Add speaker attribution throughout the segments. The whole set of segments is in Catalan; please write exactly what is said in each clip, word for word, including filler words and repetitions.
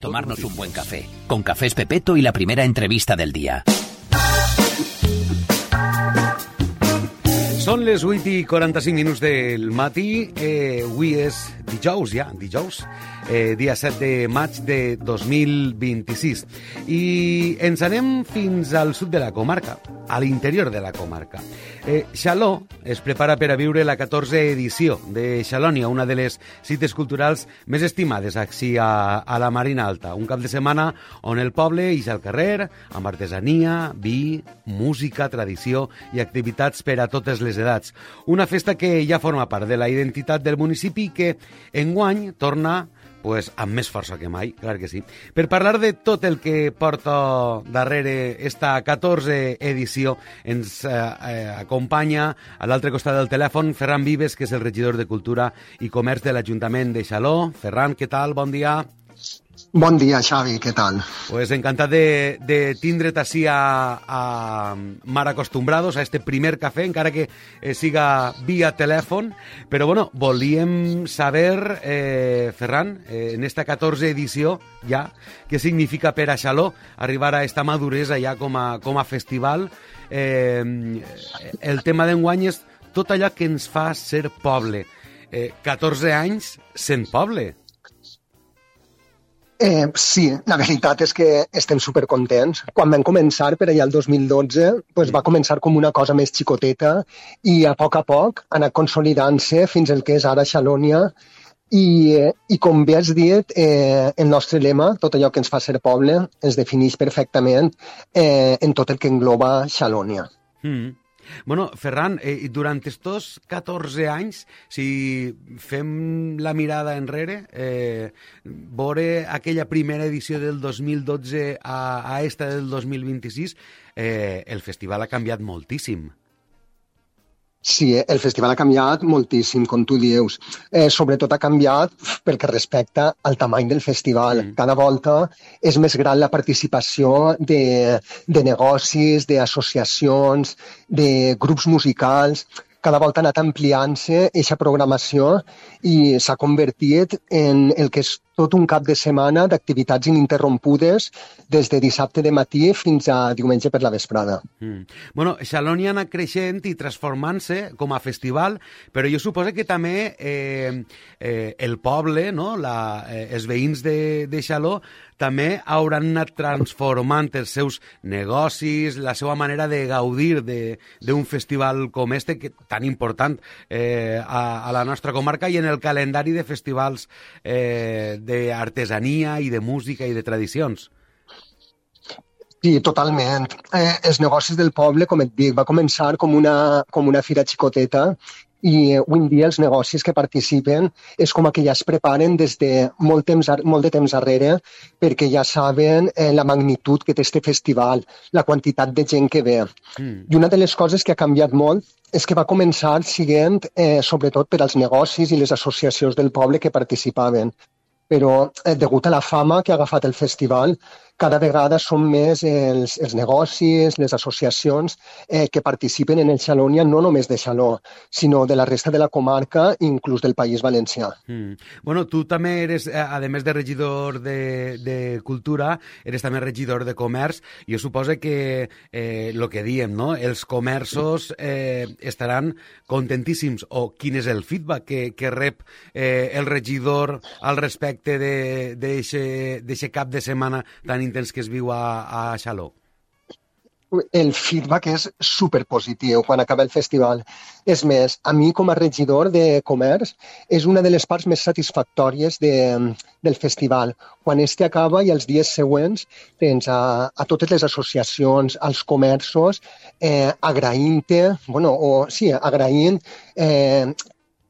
Speaker 1: Tomarnos un buen café. Con Cafés Pepeto y la primera entrevista del día.
Speaker 2: Són les vuit i quaranta-cinc minuts del matí. Eh, avui és dijous, ja, dijous, eh, dia set de maig de dos mil vint-i-sis. I ens anem fins al sud de la comarca, a l'interior de la comarca. Eh, Xaló es prepara per a viure la catorzena edició de Xalònia, una de les cites culturals més estimades així a, a la Marina Alta. Un cap de setmana on el poble ix al carrer amb artesania, vi, música, tradició i activitats per a totes les edats. Una festa que ja forma part de la identitat del municipi i que enguany torna pues, amb més força que mai, clar que sí. Per parlar de tot el que porta darrere esta catorzena edició, ens eh, eh, acompanya a l'altre costat del telèfon Ferran Vives, que és el regidor de Cultura i Comerç de l'Ajuntament de Xaló. Ferran, què tal? Bon dia.
Speaker 3: Bon dia, Xavi, què tal?
Speaker 2: Pues encantat de, de tindre't així a, a Mar Acostumbrados, a este primer cafè, encara que eh, siga via telèfon. Però, bueno, volíem saber, eh, Ferran, eh, en esta catorzena edició ja, què significa per a Xaló arribar a esta maduresa ja com a, com a festival. Eh, el tema d'enguany és tot allò que ens fa ser poble. Eh, catorze anys sent poble.
Speaker 3: Eh, sí, la veritat és que estem supercontents. Quan vam començar, per allà el dos mil dotze, pues va començar com una cosa més xicoteta i a poc a poc ha anat consolidant-se fins al que és ara Xalònia. I, eh, i com bé has dit, eh, el nostre lema, tot allò que ens fa ser poble, ens defineix perfectament eh, en tot el que engloba Xalònia.
Speaker 2: Mm. Bueno, Ferran, eh, durant estos catorze anys, si fem la mirada enrere, eh, veure aquella primera edició del dos mil dotze a, a esta del dos mil vint-i-sis, eh, el festival ha canviat moltíssim.
Speaker 3: Sí, el festival ha canviat moltíssim, com tu dius. Eh, sobretot ha canviat pel que respecta al tamany del festival. Mm. Cada volta és més gran la participació de, de negocis, d'associacions, de grups musicals. Cada volta ha anat ampliant-se aquesta programació i s'ha convertit en el que és tot un cap de setmana d'activitats ininterrompudes des de dissabte de matí fins a diumenge per la vesprada.
Speaker 2: Mm. Bueno, Xalònia ha anat creixent i transformant-se com a festival, però jo suposo que també eh, eh, el poble, no? la, eh, els veïns de, de Xaló, també hauran anat transformant els seus negocis, la seva manera de gaudir d'un festival com este, que tan important eh, a, a la nostra comarca i en el calendari de festivals eh, d'artesania i de música i de tradicions.
Speaker 3: Sí, totalment. Eh, els negocis del poble, com et dic, va començar com una, com una fira xicoteta i avui en dia els negocis que participen és com que ja es preparen des de molt, temps, molt de temps darrere perquè ja saben eh, la magnitud que té este festival, la quantitat de gent que ve. Mm. I una de les coses que ha canviat molt és que va començar siguent eh, sobretot per als negocis i les associacions del poble que participaven. Però eh, degut a la fama que ha agafat el festival, cada vegada són més els, els negocis, les associacions eh, que participen en el Xalònia, no només de Xaló, sinó de la resta de la comarca, inclús del País Valencià.
Speaker 2: Mm. Bueno, tu també eres, a més de regidor de, de Cultura, eres també regidor de Comerç. Jo suposo que eh, lo que diem, no? Els comerços eh, estaran contentíssims, o quin és el feedback que, que rep eh, el regidor al respecte d'aquest cap de setmana tan intens que es viu a, a Xaló?
Speaker 3: El feedback és superpositiu quan acaba el festival. És més, a mi com a regidor de Comerç és una de les parts més satisfactòries de, del festival. Quan este acaba i els dies següents tens a, a totes les associacions, als comerços, eh, agraint-te, bueno, o sí, agraint eh,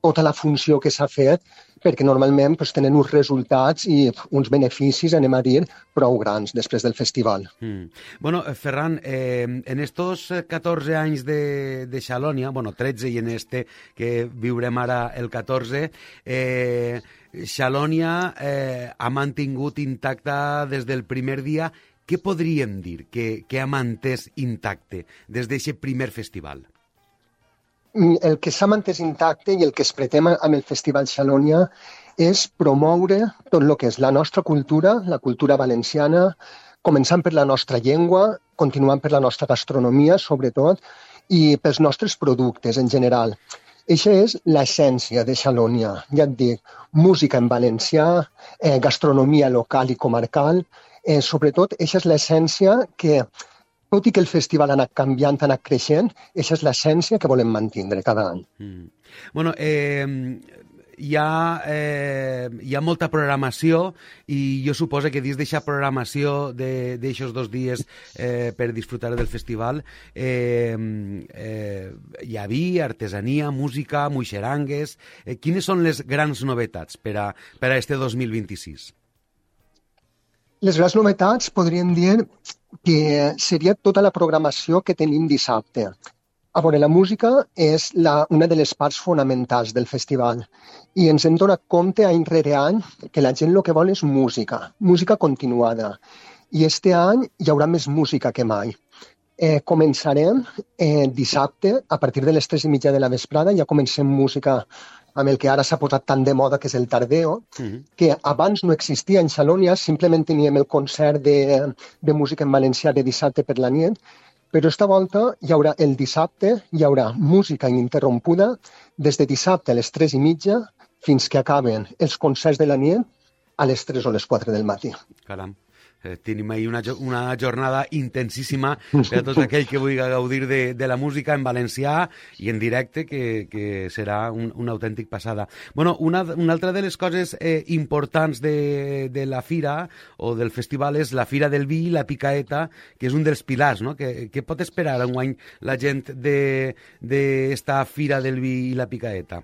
Speaker 3: tota la funció que s'ha fet, perquè normalment pues, tenen uns resultats i uns beneficis, anem a dir, prou grans després del festival.
Speaker 2: Mm. Bueno, Ferran, eh, en estos catorze anys de, de Xalònia, bueno, tretze i en este que viurem ara el catorze, eh, Xalònia eh, ha mantingut intacta des del primer dia. Què podríem dir que, que ha mantès intacte des d'aquest primer festival?
Speaker 3: el que s'ha mantès intacte i el que es pretén amb el Festival Xalonia és promoure tot el que és la nostra cultura, la cultura valenciana, començant per la nostra llengua, continuant per la nostra gastronomia, sobretot, i pels nostres productes en general. Eixa és l'essència de Xalonia, ja et dic, música en valencià, eh, gastronomia local i comarcal, eh, sobretot, eixa és l'essència que, tot i que el festival ha anat canviant, ha anat creixent, eixa és l'essència que volem mantindre cada any.
Speaker 2: Mm. Bueno, eh, hi ha, eh, hi ha molta programació i jo suposo que dins d'aquesta programació d'aixòs dos dies eh, per disfrutar del festival eh, eh, hi ha vi, artesania, música, muixerangues... Eh, quines són les grans novetats per a, per a este dos mil vint-i-sis?
Speaker 3: Les grans novetats podríem dir que seria tota la programació que tenim dissabte. A veure, la música és la, una de les parts fonamentals del festival i ens hem donat compte any rere any que la gent el que vol és música, música continuada. I este any hi haurà més música que mai. Eh, començarem eh, dissabte, a partir de les tres i mitja de la vesprada, ja comencem música amb el que ara s'ha posat tan de moda, que és el tardeo, mm-hmm. que abans no existia en Xalonia, simplement teníem el concert de, de música en valencià de dissabte per la nit, però esta volta hi haurà el dissabte, hi haurà música ininterrompuda des de dissabte a les tres i mitja fins que acaben els concerts de la nit a les tres o les quatre del matí.
Speaker 2: Caram. Eh, tenim ahí una, una jornada intensíssima per a tot aquell que vulgui gaudir de, de la música en valencià i en directe, que, que serà un, una autèntic passada. Bueno, una, una altra de les coses eh, importants de, de la fira o del festival és la Fira del Vi i la Picaeta, que és un dels pilars, no? Que, que pot esperar enguany la gent d'esta de, Fira del Vi i la Picaeta?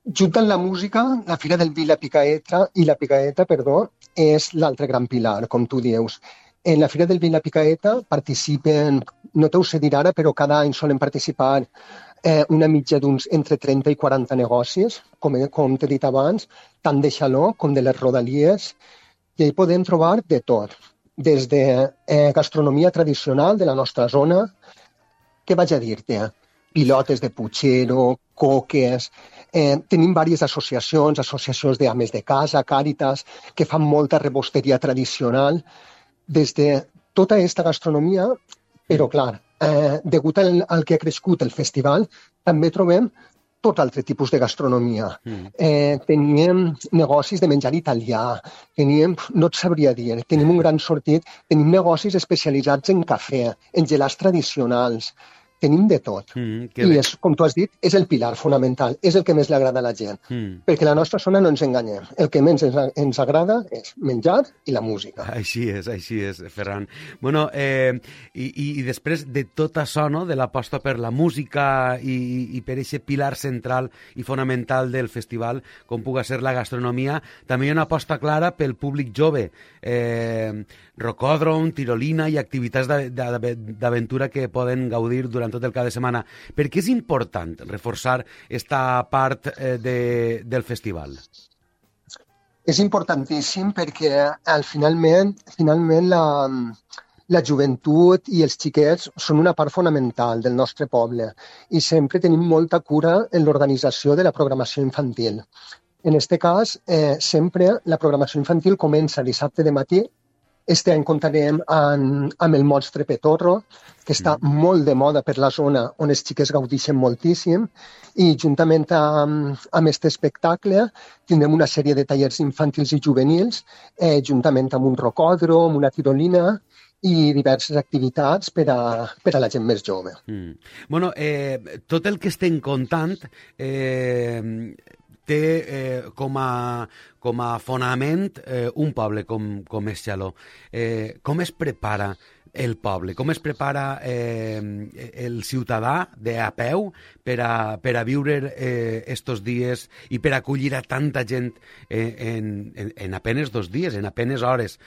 Speaker 3: Juntant la música, la Fira del Vi i la Picaeta, i la Picaeta, perdó, és l'altre gran pilar, com tu dius. En la Fira del Vi i la Picaeta participen, no t'ho sé dir ara, però cada any solen participar eh, una mitja d'uns entre trenta i quaranta negocis, com, com t'he dit abans, tant de Xaló com de les Rodalies, i hi podem trobar de tot, des de eh, gastronomia tradicional de la nostra zona, què vaig a dir-te? Pilotes de putxero, coques... Eh, tenim diverses associacions, associacions d'ames de casa, Càritas, que fan molta rebosteria tradicional, des de tota aquesta gastronomia, però clar, eh, degut al, al que ha crescut el festival, també trobem tot altre tipus de gastronomia. Mm. Eh, teníem negocis de menjar italià, teníem, no et sabria dir, tenim un gran sortit, tenim negocis especialitzats en cafè, en gelats tradicionals, tenim de tot. Mm, I, és, com tu has dit, és el pilar fonamental, és el que més li agrada a la gent. Mm. Perquè a la nostra zona no ens enganyem. El que més ens, ens agrada és menjar i la música.
Speaker 2: Així és, així és, Ferran. Bueno, eh, i, i després de tot això, no?, de l'aposta per la música i, i per aquest pilar central i fonamental del festival, com puga ser la gastronomia, també hi ha una aposta clara pel públic jove. Eh, rocòdrom, tirolina i activitats d'aventura que poden gaudir durant tot el cap de setmana. Per què és important reforçar aquesta part eh, de, del festival?
Speaker 3: És importantíssim perquè al finalment, finalment la, la joventut i els xiquets són una part fonamental del nostre poble i sempre tenim molta cura en l'organització de la programació infantil. En aquest cas, eh, sempre la programació infantil comença dissabte de matí. Este any comptarem amb, amb el Monstre Petorro, que està mm. molt de moda per la zona on els xiquets gaudeixen moltíssim, i juntament amb, amb aquest espectacle tindrem una sèrie de tallers infantils i juvenils, eh, juntament amb un rocòdrom, una tirolina i diverses activitats per a, per a la gent més jove.
Speaker 2: Mm. Bueno, eh, tot el que estem contant... Eh... té eh, com, a, com a fonament eh, un poble com, com és Xaló. Eh, com es prepara el poble? Com es prepara eh, el ciutadà de a peu per a, per a viure eh, estos dies i per acollir a tanta gent eh, en, en, en apenes dos dies, en apenes hores?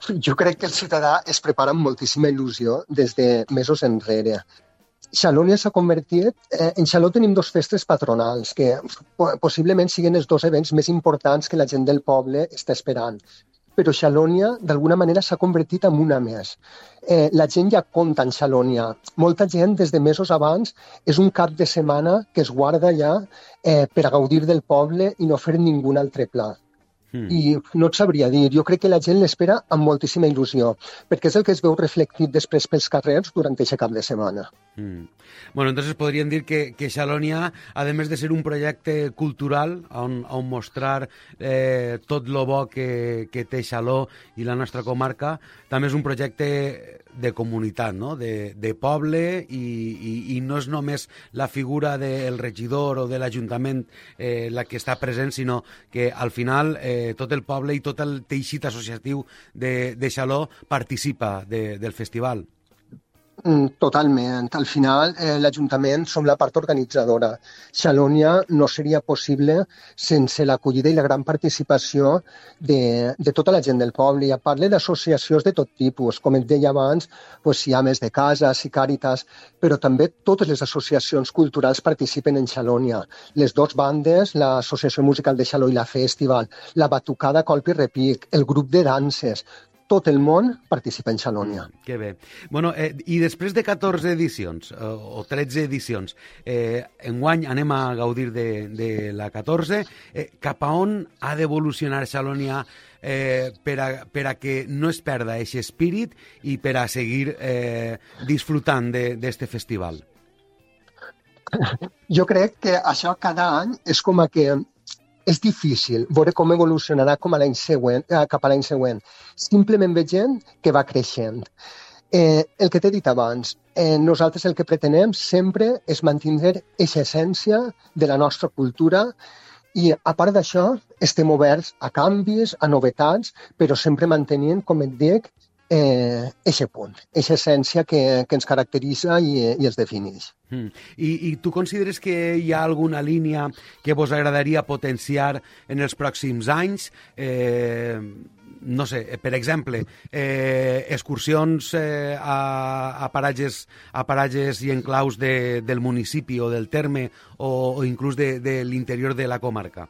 Speaker 3: Jo crec que el ciutadà es prepara amb moltíssima il·lusió des de mesos enrere. Xalonia s'ha convertit... Eh, en Xaló tenim dos festes patronals que possiblement siguin els dos events més importants que la gent del poble està esperant. però Xalònia d'alguna manera s'ha convertit en una més. Eh, la gent ja compta en Xalònia. Molta gent des de mesos abans és un cap de setmana que es guarda ja eh, per a gaudir del poble i no fer ningú altre pla. Mm. I no et sabria dir, jo crec que la gent l'espera amb moltíssima il·lusió, perquè és el que es veu reflectit després pels carrers durant aquest cap de setmana.
Speaker 2: Mm. Bueno, entonces podríem dir que, que Xalònia, a més de ser un projecte cultural on, on mostrar eh, tot lo bo que, que té Xaló i la nostra comarca, també és un projecte de comunitat, no? de, de poble, i, i, i no és només la figura del regidor o de l'Ajuntament eh, la que està present, sinó que al final eh, tot el poble i tot el teixit associatiu de, de Xaló participa de, del festival.
Speaker 3: Totalment. Al final, eh, l'Ajuntament som la part organitzadora. Xalònia no seria possible sense l'acollida i la gran participació de, de tota la gent del poble. I a part d'associacions de tot tipus. Com et deia abans, pues, hi ha més de cases i càritas, però també totes les associacions culturals participen en Xalònia. Les dues bandes, l'Associació Musical de Xaló i la Festival, la Batucada Colp i Repic, el grup de danses, tot el món participa en Xalònia.
Speaker 2: Mm, que bé. Bueno, eh, i després de catorze edicions, eh, o tretze edicions, eh, enguany anem a gaudir de, de la catorze, eh, cap a on ha d'evolucionar Xalònia eh, per, a, per a que no es perda aquest espírit i per a seguir eh, disfrutant d'este festival?
Speaker 3: Jo crec que això cada any és com a que és difícil veure com evolucionarà com a l'any següent, eh, cap a l'any següent. Simplement veient que va creixent. Eh, el que t'he dit abans, eh, nosaltres el que pretenem sempre és mantenir aquesta essència de la nostra cultura i, a part d'això, estem oberts a canvis, a novetats, però sempre mantenint, com et dic, eh, eixe punt, eixa essència que, que ens caracteritza i, i ens defineix.
Speaker 2: Mm. I, I tu consideres que hi ha alguna línia que vos agradaria potenciar en els pròxims anys? Eh, no sé, per exemple, eh, excursions eh, a, a, paratges, a paratges i enclaus de, del municipi o del terme o, o inclús de, de l'interior de la comarca?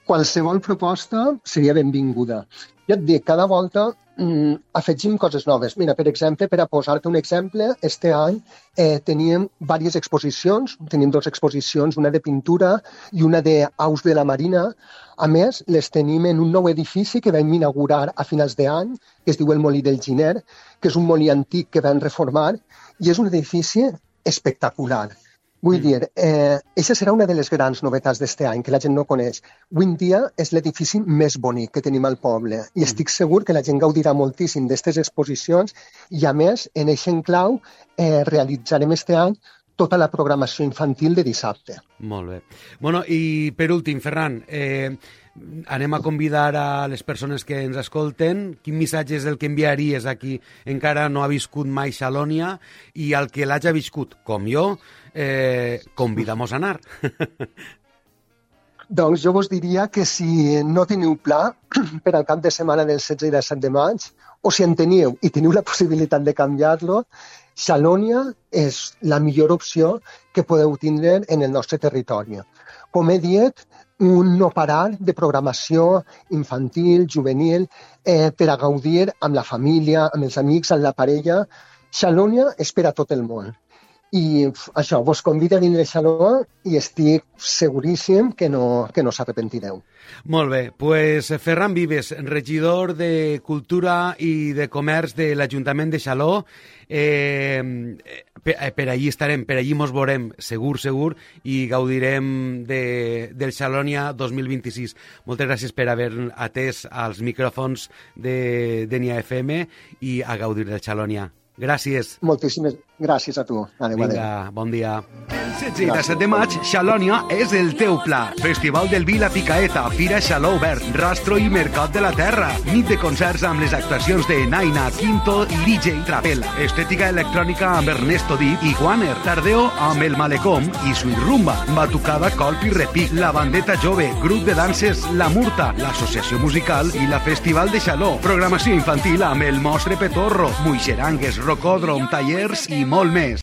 Speaker 3: Qualsevol proposta seria benvinguda. Ja et dic, cada volta mm, afegim coses noves. Mira, per exemple, per a posar-te un exemple, este any eh, teníem diverses exposicions, tenim dues exposicions, una de pintura i una d'aus de la Marina. A més, les tenim en un nou edifici que vam inaugurar a finals d'any, que es diu el Molí del Giner, que és un molí antic que vam reformar, i és un edifici espectacular. Vull dir, eh, aquesta serà una de les grans novetats d'este any, que la gent no coneix. Avui en dia és l'edifici més bonic que tenim al poble i estic segur que la gent gaudirà moltíssim d'aquestes exposicions i, a més, en aquest enclau eh, realitzarem este any tota la programació infantil de dissabte.
Speaker 2: Molt bé. Bueno, i per últim, Ferran, eh, anem a convidar a les persones que ens escolten. Quin missatge és el que enviaries a qui encara no ha viscut mai Xalònia i al que l'hagi viscut, com jo, eh, convidamos a anar?
Speaker 3: Doncs jo vos diria que si no teniu pla per al cap de setmana del setze i disset de maig, o si en teniu i teniu la possibilitat de canviar-lo, Xalònia és la millor opció que podeu tindre en el nostre territori. Com he dit, un no parar de programació infantil, juvenil, eh, per a gaudir amb la família, amb els amics, amb la parella. Xalònia és per a tot el món. I això, vos convido a vindre a Xaló i estic seguríssim que no, que no s'arrepentireu.
Speaker 2: Molt bé, pues Ferran Vives, regidor de Cultura i de Comerç de l'Ajuntament de Xaló, eh, per, per allí estarem, per allí mos veurem segur, segur, i gaudirem de, del Xalònia dos mil vint-i-sis. Moltes gràcies per haver atès als micròfons de, de N I A F M i a gaudir del Xalònia. Gràcies.
Speaker 3: Moltíssimes gràcies a tu. Adéu,
Speaker 2: Vinga, adéu. Bon dia. El setze i disset de maig, Xalònia és el teu pla. Festival del Vi La Picaeta, Fira Xaló Obert, Rastro i Mercat de la Terra. Nit de concerts amb les actuacions de Naina, Quinto i D J Trapela. Estètica electrònica amb Ernesto Dip i Juaner. Tardeo amb El Malecom i Sweet Rumba. Batucada, Colp i Repic. La Bandeta Jove, grup de danses La Murta, l'Associació Musical i la Festival de Xaló. Programació infantil amb El Mostre Petorro, Muixerangues, Rocòdrom, tallers i molt més.